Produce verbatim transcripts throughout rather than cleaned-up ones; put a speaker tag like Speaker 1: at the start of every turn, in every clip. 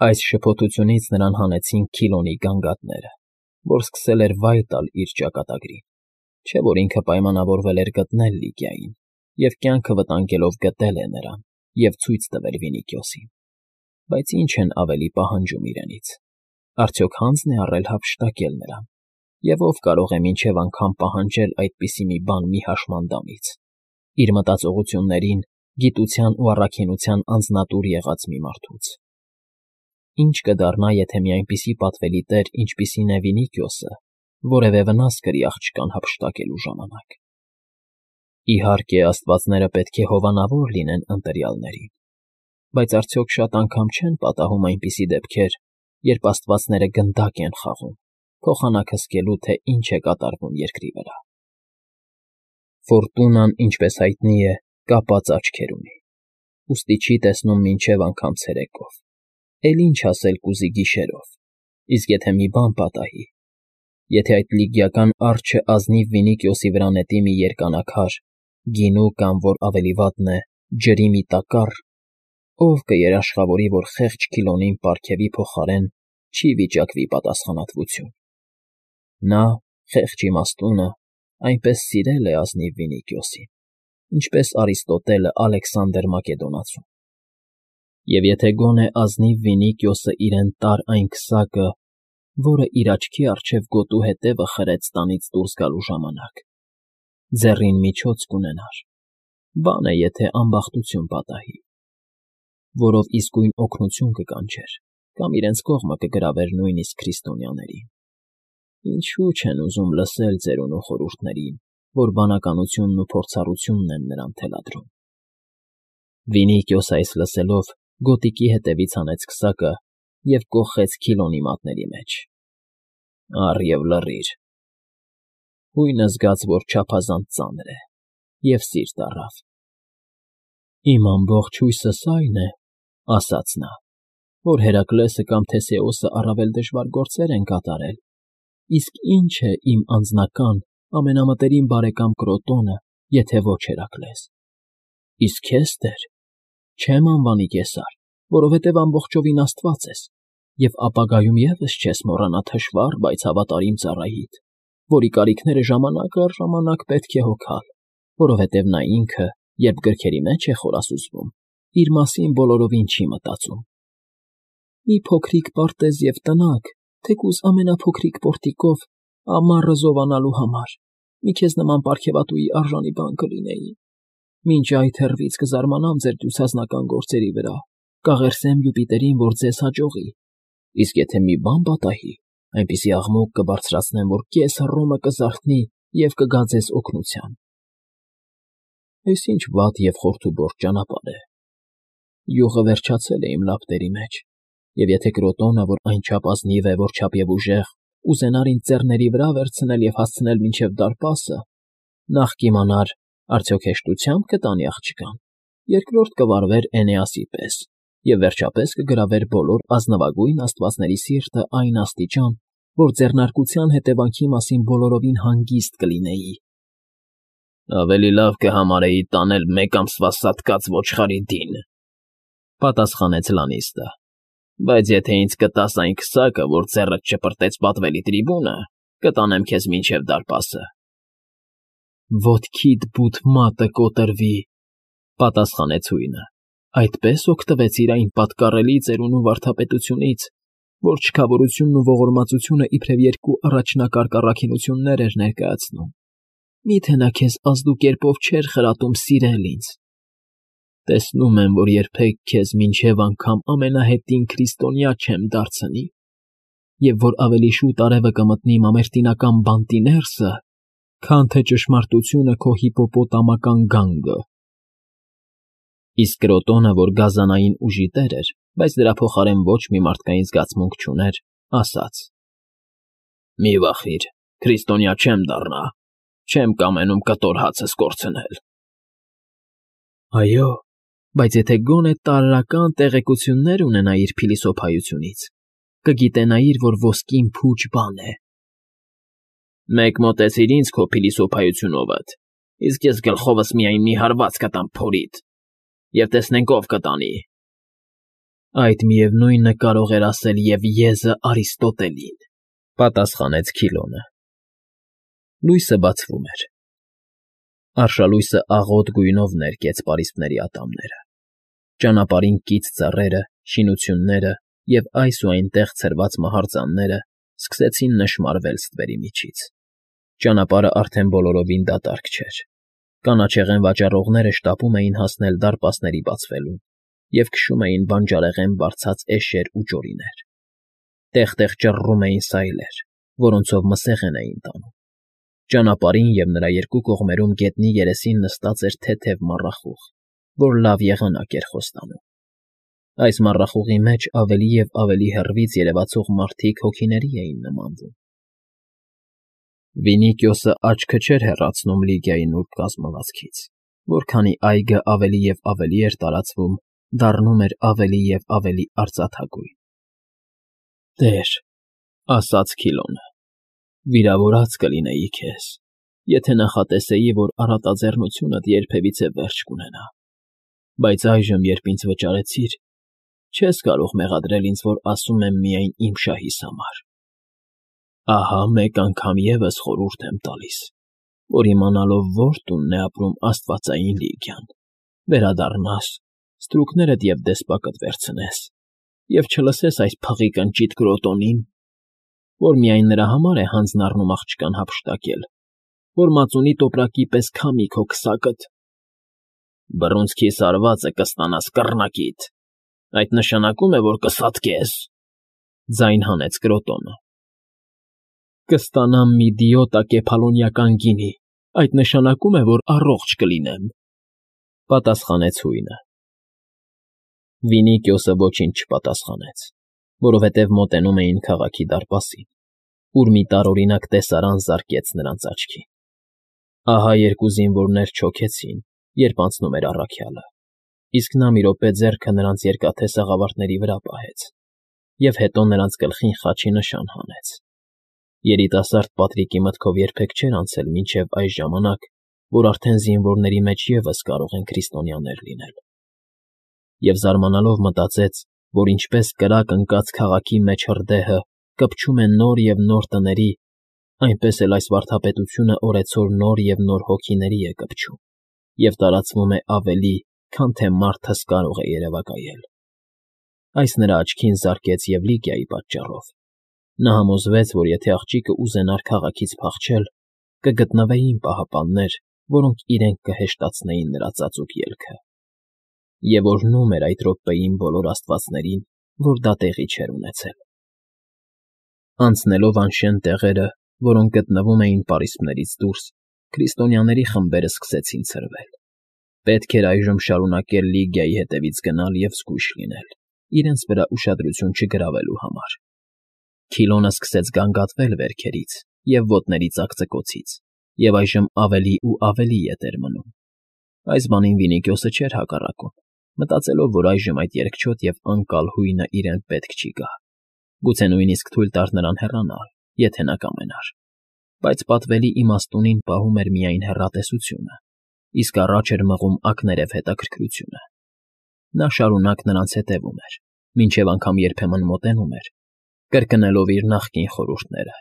Speaker 1: Այս շփոթությունից նրան հանեցին Քիլոնի գանգատները, որ սկսել էր վայր տալ իր ճակատագրին, չէ՞ որ ինքը պայմանավորվել էր գտնել Լիգիային և կյանքը վտանգելով գտել է նրան և ցույց տվել Վինիքիոսին, բայց ի՞նչ են ավելի պահանջում իրենից, արդյոք հանձ՞ն է առել հափշտակել նրան, և ով կարող է մինչև անգամ պահանջել այդպիսի մի բան մի հաշմանդամից, իր մտածողություններին, գիտության ու առաքինության անձնատուր եղած մի մարդուց։ Ինչ կդառնա, եթե մի այնպիսի պատվելի տեր, ինչպիսին է Վինիքիոսը, որևէ վնաս կրի աղջկան հափշտակելու ժամանակ։ Իհարկե, աստվածները պետք է հովանավոր լինեն ընտրյալներին, բայց արդյոք շատ անգամ չեն պատահում այնպիսի դեպքեր, երբ աստվածները գնդակ են խաղում, փոխանակ հսկելու, թե ինչ է կատարվում երկրի վրա։ Ֆորտունան, ինչպես հայտնի է, կապած աչքեր ունի, ուստի չի տեսնում մինչև անգամ ցերեկով, էլ ինչ ասել կուզի գիշերով, իսկ եթե մի բան պատահի, եթե այդ լիգիական արջը ազնիվ Վինիքիոսի վրա նետի մի երկանաքար, գինու կամ, որ ավելի վատն է, ջրի մի տակառ, ով կերաշխավորի, որ խեղճ Քիլոնին պարգևի փոխարեն չի վիճակվի պատասխանատվություն։ Նա, խեղճ իմաստունը, այնպես սիրել է ազնիվ Վինիքիոսին, ինչպես Արիստոտելը Ալեքսանդր Մակեդոնացուն։ Եվ եթե գոնե ազնիվ Վինիքիոսը իրեն տար այն քսակը, որը իր աչքի առջև գոտու հետևը խրեց տանից դուրս գալու ժամանակ, ձեռին միջոց կունենար, բան է, եթե ամբախտություն պատահի, որով իսկույն օգնություն կկանչեր կամ իրենց կողմը կգրավեր նույնիսկ քրիստոնյաներին։ Ինչու չեն ուզում լսել ծերունու խորհուրդներին, որ բանականությունն ու փորձառությունն են նրան թելադրում։ Վինիքիոսը այս լսելով գոտիկի հետևից հանեց քսակը և կոխեց Քիլոնի մատների մեջ։ Առ և լռիր։ Հույնը զգաց, որ չափազանց ծանր է, և սիրտ առավ։ Իմ ամբողջ հույսս այն է, ասաց նա, որ Հերակլեսը կամ Թեսեոսը առավել դժվար գործեր են կատարել, իսկ ինչ է իմ անձնական, ամենամտերիմ բարեկամ Կրոտոնը, եթե ոչ Հերակլես։ Իսկ քեզ, տեր, չեմ անվանի կեսար, որովհետև ամբողջովին աստված ես, և ապագայում ևս չես մոռանա թշվառ, բայց հավատարիմ ծառայիդ, որի կարիքները ժամանակ առ ժամանակ պետք է հոգալ, որովհետև նա ինքը, երբ գրքերի մեջ է խորասուզվում, իր մասին բոլորովին չի մտածում։ Մի փոքրիկ պարտեզ և տնակ, թեկուզ ամենափոքրիկ պորտիկով, ամառը զովանալու համար, մի քեզ նման պարգևատուի արժանի բան կլինեի։ Մինչ այդ հեռվից կզարմանամ ձեր դյուցազնական գործերի վրա, կաղերսեմ Յուպիտերին, որ ձեզ հաջողի, իսկ եթե մի բան պատահի, այնպիսի աղմուկ կբարձրացնեմ, որ կես Հռոմը կզարթնի և կգա ձեզ օգնության։ Այս ինչ վատ և խորթուբորտ ճանապարհ է։ Յուղը վերջացել է իմ լապտերի մեջ, և եթե Կրոտոնը, որ այնչափ ազնիվ է, որչափ և ուժեղ, ուզենար ինձ ձեռների վրա վերցնել և հասցնել մինչև դարպասը, նախ կիմանար, արդյոք հեշտությա՞մբ կտանի աղջկան, երկրորդ կվարվեր Էնեասի պես և վերջապես կգրավեր բոլոր ազնվագույն աստվածների սիրտը այն աստիճան, որ ձեռնարկության հետևանքի մասին բոլորովին հանգիստ կլինեի։ Ավելի լավ կհամարեի տանել մեկ ամսվա սատկած ոչխարի դին, պատասխանեց Լանիստը, բայց եթե ինձ կտաս այն քսակը, որ ձեռդ շպրտեց պատվելի տրիբունը, կտանեմ քեզ մինչև դարպասը։ Ոտքիդ բութ մատը կոտրվի, պատասխանեց հույնը, այդպես օգտվեցիր այն պատկառելի ծերունու վարդապետությունից, որ չքավորությունն ու ողորմածությունը իբրև երկու առաջնակարգ առաքինություններ էր ներկայացնում։ Մի՞թե նա քեզ ազդուկերպով չէր խրատում սիրել ինձ։ Տեսնում եմ, որ երբեք քեզ մինչև անգամ ամենահետին քրիստոնյա չեմ դարձնի, և որ ավելի շուտ արևը կմտնի մամերտինական բանտի ներսը, քան թե ճշմարտությունը քո հիպոպոտամական գանգը։ Իսկ Կրոտոնը, որ գազանային ուժի տեր էր, բայց դրա փոխարեն ոչ մի մարդկային զգացմունք չուներ, ասաց. Մի վախիր, քրիստոնյա չեմ դառնա, չեմ կամենում կտոր հացս կորցնել։ Այո, բայց եթե գոնե տարրական տեղեկություններ ունենայիր փիլիսոփայությունից, կգիտենայիր, որ ոսկին փուչ բան է։ Մեկ մոտեցիր ինձ քո փիլիսոփայությունովդ, իսկ ես գլխովս միայն մի հարված կտամ փորիդ, և տեսնենք ով կտանի։ Այդ միևնույնը կարող էր ասել և Եզը Արիստոտելին,֊ պատասխանեց Քիլոնը։ Լույսը բացվում էր։ Արշալույսը աղոտ գույնով ներկեց պարիսպների ատամները։ Ճանապարհին կից ծառերը, շինությունները և այս ու այնտեղ ցրված մահարձանները սկսեցին նշմարվել ստվերի միջից։ Ճանապարհը արդեն բոլորովին դատարկ չէր։ Կանաչեղեն վաճառողները շտապում էին հասնել դարպասների բացվելուն և քշում էին բանջարեղեն բարձած էշեր ու ջորիներ։ Տեղ֊տեղ ճռռում էին սայլեր, որոնցով մսեղեն էին տանում։ Ճանապարհին և նրա երկու կողմերում գետնի երեսին նստած էր թեթև մառախուղ, որ լավ եղանակ էր խոստանում։ Այս մառախուղի մեջ ավելի և ավելի հեռվից երևացող մարդիկ հոգիների էին նմանվում։ Վինիքիոսը աչքը չէր հեռացնում Լիգիայի նուրբ կազմվածքից, որքանի այգը ավելի և ավելի էր տարածվում, դառնում էր ավելի և ավելի արծաթագույն։ «Տեր,֊ ասաց Քիլոնը,֊ վիրավորած կլինեի քեզ, եթե նախատեսեի, որ առատաձեռնությունդ երբևիցե վերջ կունենա, բայց այժմ, երբ ինձ վճարեցիր, չես կարող մեղադրել ինձ, որ ասում եմ միայն իմ շահիս համար։ Ահա մեկ անգամ ևս խորհուրդ եմ տալիս, որ իմանալով որ տունն է ապրում աստվածային Լիգիան, վերադառնաս, ստրուկներդ և դեսպակդ վերցնես և չլսես այս փղի կնճիտ գրոտոնին, որ միայն նրա համար է հանձն առնում աղջկան հափշտակել, որ մածունի տոպրակի պես քամի քո քսակդ։ Բռունցքիս հարվածը կստանաս կռնակիդ, այդ նշանակում է, որ կսատկես,֊ ձայն հանեց Կրոտոնը։ Կստանամ մի դիոտա կեփալոնիական գինի, այդ նշանակում է, որ առողջ կլինեմ,֊ պատասխանեց հույնը։ Վինիքիոսը ոչինչ չպատասխանեց, որովհետև մոտենում էին քաղաքի դարպասին, ուր մի տարօրինակ տեսարան զարկեց նրանց աչքին։ Ահա երկու զինվորներ չոքեցին, երբ անցնում էր առաքյալը, իսկ նա մի րոպե ձեռքը նրանց երկաթե սաղավարտների վրա պահեց և հետո նրանց գլխին խաչի նշան հանեց։ Երիտասարդ Պատրիկի մտքով երբեք չէր անցել մինչև այս ժամանակ, որ արդեն զինվորների մեջ ևս կարող են քրիստոնյաներ լինել։ Եվ զարմանալով մտածեց, որ ինչպես կրակ ընկած քաղաքի մեջ հրդեհը կպչում է նոր և նոր տների, այնպես էլ այս վարդապետությունը օրեցօր նոր և նոր հոգիների է կպչում և տարածվում է ավելի, քան թե մարդս կարող է երևակայել։ Այս նրա աչքին զարկեց և Լիգիայի պատճառով։ Նա համոզվեց, որ եթե աղջիկը ուզենար քաղաքից փախչել, կգտնվեին պահապաններ, որոնք իրենք կհեշտացնեին նրա ծածուկ ելքը։ Եվ օրհնում էր այդ րոպեին բոլոր աստվածներին, որ դա տեղի չէր ունեցել։ Անցնելով անշեն տեղերը, որոնք գտնվում էին պարիսպներից դուրս, քրիստոնյաների խմբերը սկսեցին ցրվել։ Պետք էր այժմ շարունակել Լիգիայի հետևից գնալ և զգույշ լինել, իրենց վրա ուշադրություն չգրավելու համար։ Քիլոնը սկսեց գանգատվել վերքերից և ոտների ծակծկոցից, և այժմ ավելի ու ավելի ետ էր մնում։ Այս բանին Վինիքիոսը չէր հակառակում, մտածելով, որ այժմ այդ երկչոտ և անկալ հույնը իրեն պետք չի գա, գուցե նույնիսկ թույլ տար նրան հեռանալ, եթե նա կամենար, բայց պատվելի իմաստունին պահում էր միայն հեռատեսությունը, իսկ առաջ էր մղում ակներև հետաքրքրությունը։ Նա շարունակ նրանց հետևում էր, մինչև անգամ երբեմն մոտենում էր, կրկնելով իր նախկին խորհուրդները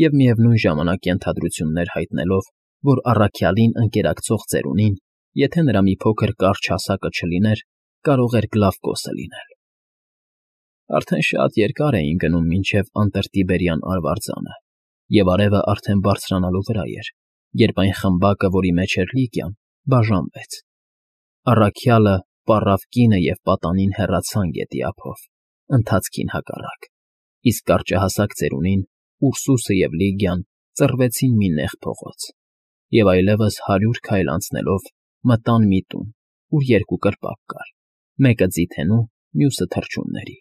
Speaker 1: և միևնույն ժամանակ ենթադրություններ հայտնելով, որ առաքյալին ընկերակցող ծերունին, եթե նրա մի փոքր կարճ հասակը չլիներ, կարող էր Գլավկոսը լինել։ Արդեն շատ երկար էին գնում մինչև Անտրտիբերյան արվարձանը, և արևը արդեն բարձրանալու վրա էր, երբ այն խմբակը, որի մեջ էր Լիգիան, բաժանվեց։ Առաքյալը, պառավ կինը և պատանին հեռացան գետի ափով, ընթացքին հակառակ, իսկ կարճահասակ ծերունին, Ուրսուսը և Լիգիան ծռվեցին մի նեղ փողոց և այլևս հարյուր քայլ անցնելով մտան մի տուն, ուր երկու կրպակ կար, մեկը ձիթենու, մյուսը թռչունների։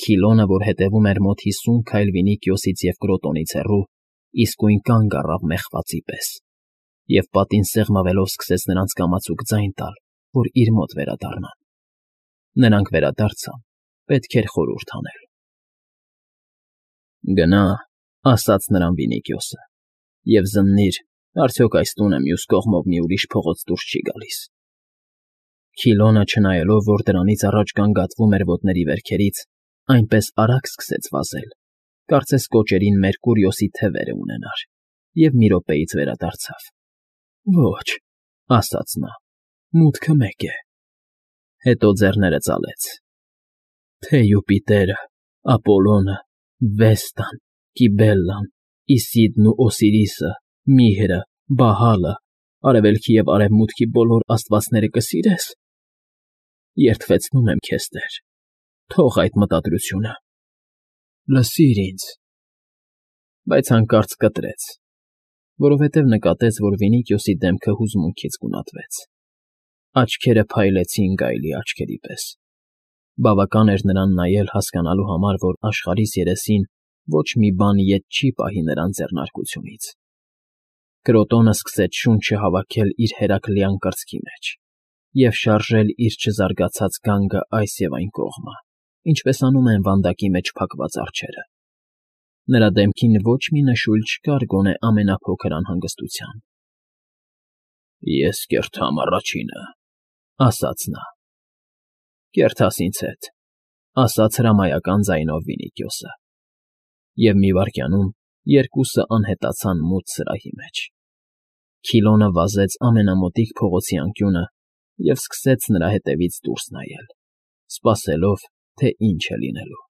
Speaker 1: Քիլոնը, որ հետևում էր մոտ հիսուն քայլ Վինիքիոսից և Կրոտոնից հեռու, իսկույն կանգ առավ մեղվածի պես և պատին սեղմվելով սկսեց նրանց կամացուկ ձայն տալ, որ իր մոտ վերադառնան։ Նրանք վերադարձան, պետք էր խորհուրդ անել։ «Գնա,֊ ասաց նրան Վինիքիոսը,֊ և զննիր, արդյոք այս տունը մյուս կողմով մի ուրիշ փողոց դուրս չի գալիս»։ Քիլոնը, չնայելով, որ դրանից առաջ գանգատվում էր ոտների վերքերից, այնպես արագ սկսեց վազել, կարծես կոճերին Մերկուրիոսի թևերը ունենար, և մի րոպեից վերադարձավ։ «Ոչ,֊ ասաց նա,֊ մուտքը մեկ է»։ Հետո ձեռները ծալեց. «Թե Յուպիտերը, Ապոլոնը, Վեստան, Կիբելլան, Իսիդն ու Օսիրիսը, Միրը, Բահալը, արևելքի և արևմուտքի բոլոր աստվածները կսիրես… Երդվեցնում եմ քեզ, Տեր, թող այդ մտադրությունը… Լսիր ինձ…»։ Բայց հանկարծ կտրեց, որովհետև նկատեց, որ Վինիքիոսի դեմքը հուզմունքից գունատվեց. աչքերը փայլեցին գայլի աչքերի պես. բավական էր նրան նայել հասկանալու համար, որ աշխարհիս երեսին ոչ մի բան ետ չի պահի նրան ձեռնարկությունից։ Կրոտոնը սկսեց շունչը հավաքել իր հերակլյան կրծքի մեջ և շարժել իր չզարգացած գանգը այս և այն կողմը, ինչպես անում են վանդակի մեջ փակված արջերը։ Նրա դեմքին ոչ մի նշույլ չկար գոնե ամենափոքր անհանգստության։ «Ես կերտամ առաջինը,֊ ասաց նա։ «Կերթաս ինձ հետ,֊ ասաց հրամայական ձայնով Վինիքիոսը։ Եվ մի վայրկյանում երկուսը անհետացան մութ սրահի մեջ։ Քիլոնը վազեց ամենամոտիկ փողոցի անկյունը և սկսեց նրա հետևից դուրս նայել, սպասելով, թե ինչ է լինելու։